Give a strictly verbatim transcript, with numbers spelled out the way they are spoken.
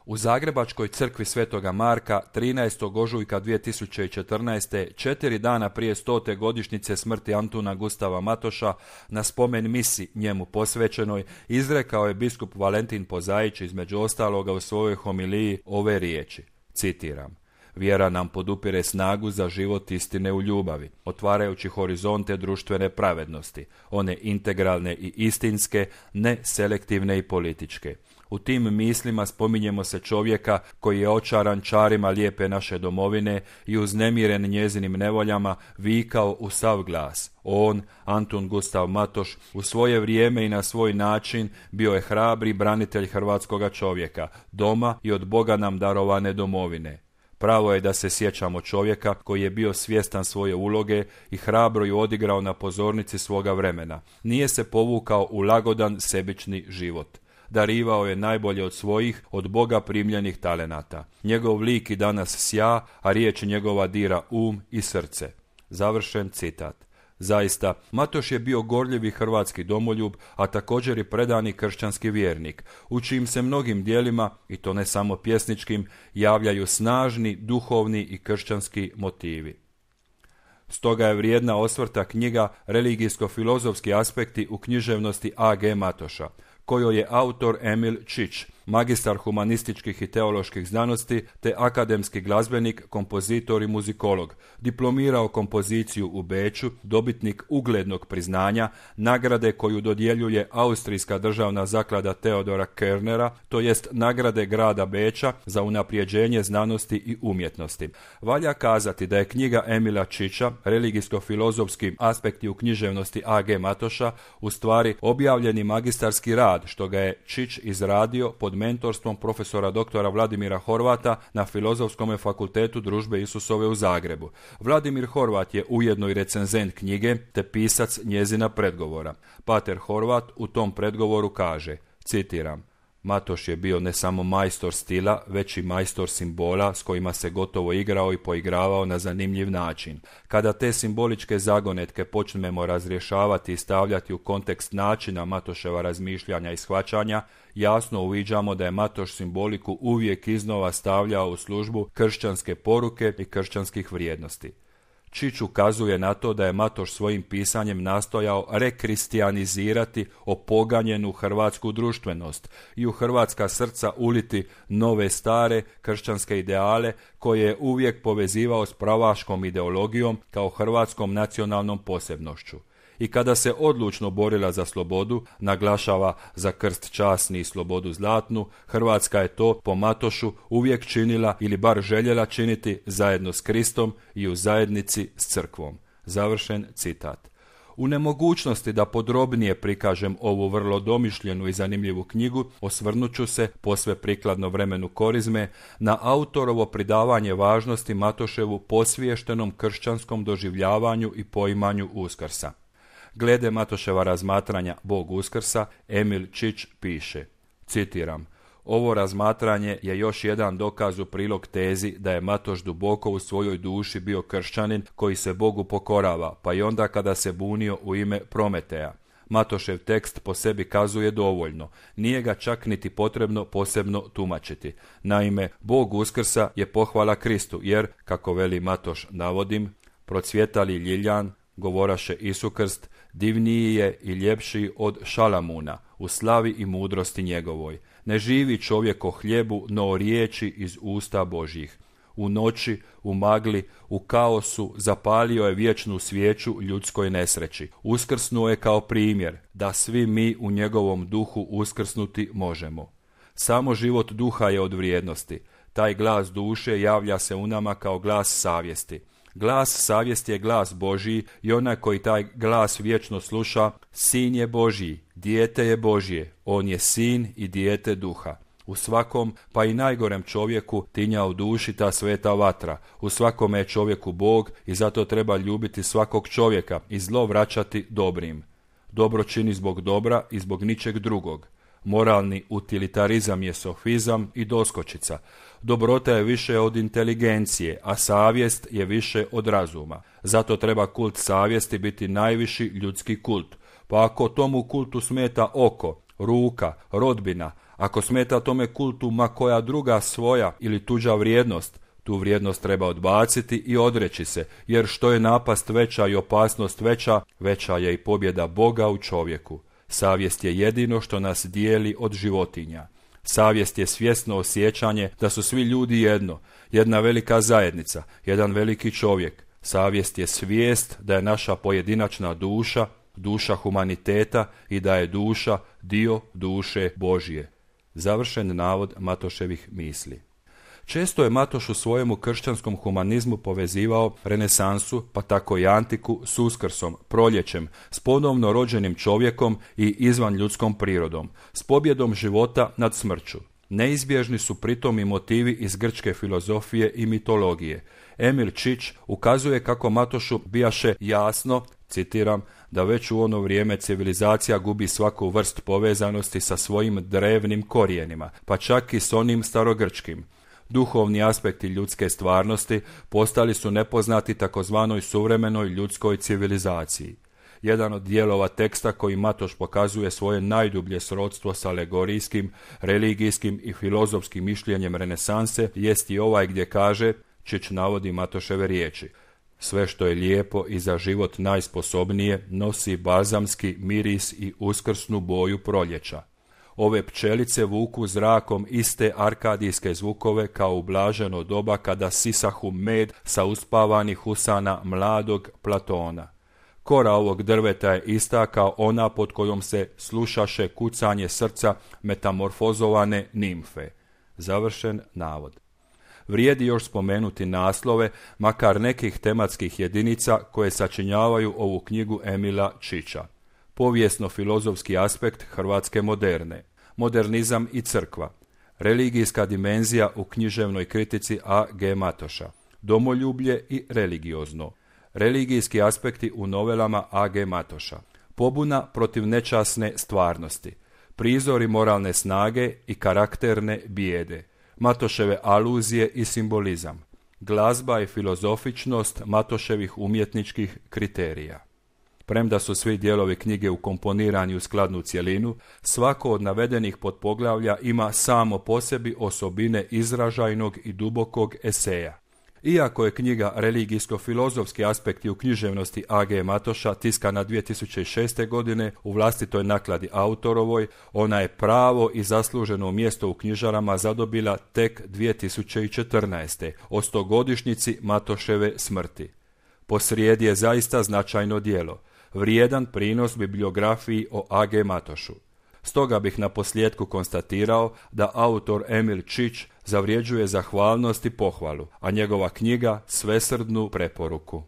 U Zagrebačkoj crkvi Svetoga Marka trinaestog ožujka dvije tisuće četrnaeste. četiri dana prije stote godišnjice smrti Antuna Gustava Matoša, na spomen misi njemu posvećenoj, izrekao je biskup Valentin Pozaić između ostaloga u svojoj homiliji ove riječi, citiram: "Vjera nam podupire snagu za život istine u ljubavi, otvarajući horizonte društvene pravednosti, one integralne i istinske, ne selektivne i političke. U tim mislima spominjemo se čovjeka koji je očaran čarima lijepe naše domovine i uznemiren njezinim nevoljama vikao u sav glas. On, Antun Gustav Matoš, u svoje vrijeme i na svoj način bio je hrabri branitelj hrvatskoga čovjeka, doma i od Boga nam darovane domovine. Pravo je da se sjećamo čovjeka koji je bio svjestan svoje uloge i hrabro ju odigrao na pozornici svoga vremena. Nije se povukao u lagodan sebični život. Darivao je najbolje od svojih, od Boga primljenih talenata. Njegov lik i danas sja, a riječ njegova dira um i srce." Završen citat. Zaista, Matoš je bio gorljivi hrvatski domoljub, a također i predani kršćanski vjernik, u čijim se mnogim dijelima, i to ne samo pjesničkim, javljaju snažni, duhovni i kršćanski motivi. Stoga je vrijedna osvrta knjiga Religijsko-filozofski aspekti u književnosti A G Matoša, kojoj je autor Emil Čić, magistar humanističkih i teoloških znanosti te akademski glazbenik, kompozitor i muzikolog, diplomirao kompoziciju u Beču, dobitnik uglednog priznanja, nagrade koju dodjeljuje Austrijska državna zaklada Teodora Kernera, to jest nagrade grada Beča za unaprijeđenje znanosti i umjetnosti. Valja kazati da je knjiga Emila Čića, Religijsko-filozofski aspekti u književnosti A G Matoša, u stvari objavljeni magistarski rad, što ga je Čić izradio pod mentorstvom profesora doktora Vladimira Horvata na Filozofskom fakultetu Družbe Isusove u Zagrebu. Vladimir Horvat je ujedno i recenzent knjige te pisac njezina predgovora. Pater Horvat u tom predgovoru kaže, citiram: "Matoš je bio ne samo majstor stila, već i majstor simbola s kojima se gotovo igrao i poigravao na zanimljiv način. Kada te simboličke zagonetke počnemo razrješavati i stavljati u kontekst načina Matoševa razmišljanja i shvaćanja, jasno uviđamo da je Matoš simboliku uvijek iznova stavljao u službu kršćanske poruke i kršćanskih vrijednosti." Čić ukazuje na to da je Matoš svojim pisanjem nastojao rekristijanizirati opoganjenu hrvatsku društvenost i u hrvatska srca uliti nove stare kršćanske ideale koje je uvijek povezivao s pravaškom ideologijom kao hrvatskom nacionalnom posebnošću. I kada se odlučno borila za slobodu, naglašava za krst časni i slobodu zlatnu, Hrvatska je to po Matošu uvijek činila ili bar željela činiti zajedno s Kristom i u zajednici s crkvom. Završen citat. U nemogućnosti da podrobnije prikažem ovu vrlo domišljenu i zanimljivu knjigu, osvrnut ću se, posve prikladno vremenu korizme, na autorovo pridavanje važnosti Matoševu posviještenom kršćanskom doživljavanju i poimanju Uskrsa. Glede Matoševa razmatranja Bog Uskrsa, Emil Čić piše, citiram: "Ovo razmatranje je još jedan dokaz u prilog tezi da je Matoš duboko u svojoj duši bio kršćanin koji se Bogu pokorava, pa i onda kada se bunio u ime Prometeja. Matošev tekst po sebi kazuje dovoljno, nije ga čak niti potrebno posebno tumačiti. Naime, Bog Uskrsa je pohvala Kristu, jer, kako veli Matoš, navodim, procvjetali ljiljan, govoraše Isukrst, divniji je i ljepši od Šalamuna, u slavi i mudrosti njegovoj. Ne živi čovjek o hljebu, no o riječi iz usta Božjih. U noći, u magli, u kaosu zapalio je vječnu svijeću ljudskoj nesreći. Uskrsnuo je kao primjer, da svi mi u njegovom duhu uskrsnuti možemo. Samo život duha je od vrijednosti. Taj glas duše javlja se u nama kao glas savjesti. Glas savjesti je glas Božji i onaj koji taj glas vječno sluša, sin je Božji, dijete je Božje, on je sin i dijete duha. U svakom, pa i najgorem čovjeku, tinja u duši ta sveta vatra. U svakome je čovjeku Bog i zato treba ljubiti svakog čovjeka i zlo vraćati dobrim. Dobro čini zbog dobra i zbog ničeg drugog. Moralni utilitarizam je sofizam i doskočica. Dobrota je više od inteligencije, a savjest je više od razuma. Zato treba kult savjesti biti najviši ljudski kult. Pa ako tomu kultu smeta oko, ruka, rodbina, Ako smeta tome kultu ma koja druga svoja ili tuđa vrijednost, tu vrijednost treba odbaciti i odreći se, jer što je napast veća i opasnost veća, veća je i pobjeda Boga u čovjeku. Savjest je jedino što nas dijeli od životinja. Savjest je svjesno osjećanje da su svi ljudi jedno, jedna velika zajednica, jedan veliki čovjek. Savjest je svijest da je naša pojedinačna duša, duša humaniteta i da je duša dio duše Božje. Završen navod Matoševih misli. Često je Matoš u svojemu kršćanskom humanizmu povezivao renesansu, pa tako i antiku, s Uskrsom, proljećem, s ponovno rođenim čovjekom i izvan ljudskom prirodom, s pobjedom života nad smrću. Neizbježni su pritom i motivi iz grčke filozofije i mitologije. Emil Čič ukazuje kako Matošu bijaše jasno, citiram, da već u ono vrijeme civilizacija gubi svaku vrst povezanosti sa svojim drevnim korijenima, pa čak i s onim starogrčkim. Duhovni aspekti ljudske stvarnosti postali su nepoznati takozvanoj suvremenoj ljudskoj civilizaciji. Jedan od dijelova teksta koji Matoš pokazuje svoje najdublje srodstvo s alegorijskim, religijskim i filozofskim mišljenjem renesanse jest i ovaj gdje kaže, Čič navodi Matoševe riječi: sve što je lijepo i za život najsposobnije nosi balzamski miris i uskrsnu boju proljeća. Ove pčelice vuku zrakom iste arkadijske zvukove kao u blaženo doba kada sisahu med sa uspavanih usana mladog Platona. Kora ovog drveta je ista kao ona pod kojom se slušaše kucanje srca metamorfozovane nimfe. Završen navod. Vrijedi još spomenuti naslove, makar nekih tematskih jedinica koje sačinjavaju ovu knjigu Emila Čiča. Povijesno-filozofski aspekt hrvatske moderne, modernizam i crkva, religijska dimenzija u književnoj kritici A G Matoša, domoljublje i religiozno, religijski aspekti u novelama A G Matoša, pobuna protiv nečasne stvarnosti, prizori moralne snage i karakterne bijede, Matoševe aluzije i simbolizam, glazba i filozofičnost Matoševih umjetničkih kriterija. Premda su svi dijelovi knjige ukomponirani u skladnu cjelinu, svako od navedenih podpoglavlja ima samo po sebi osobine izražajnog i dubokog eseja. Iako je knjiga religijsko-filozofski aspekti u književnosti A G Matoša tiskana dvije tisuće šeste. godine u vlastitoj nakladi autorovoj, ona je pravo i zasluženo mjesto u knjižarama zadobila tek dvije tisuće četrnaeste. o stogodišnjici Matoševe smrti. Posrijedi je zaista značajno djelo, vrijedan prinos bibliografiji o A G Matošu. Stoga bih na posljedku konstatirao da autor Emil Čič zavređuje zahvalnost i pohvalu, a njegova knjiga svesrdnu preporuku.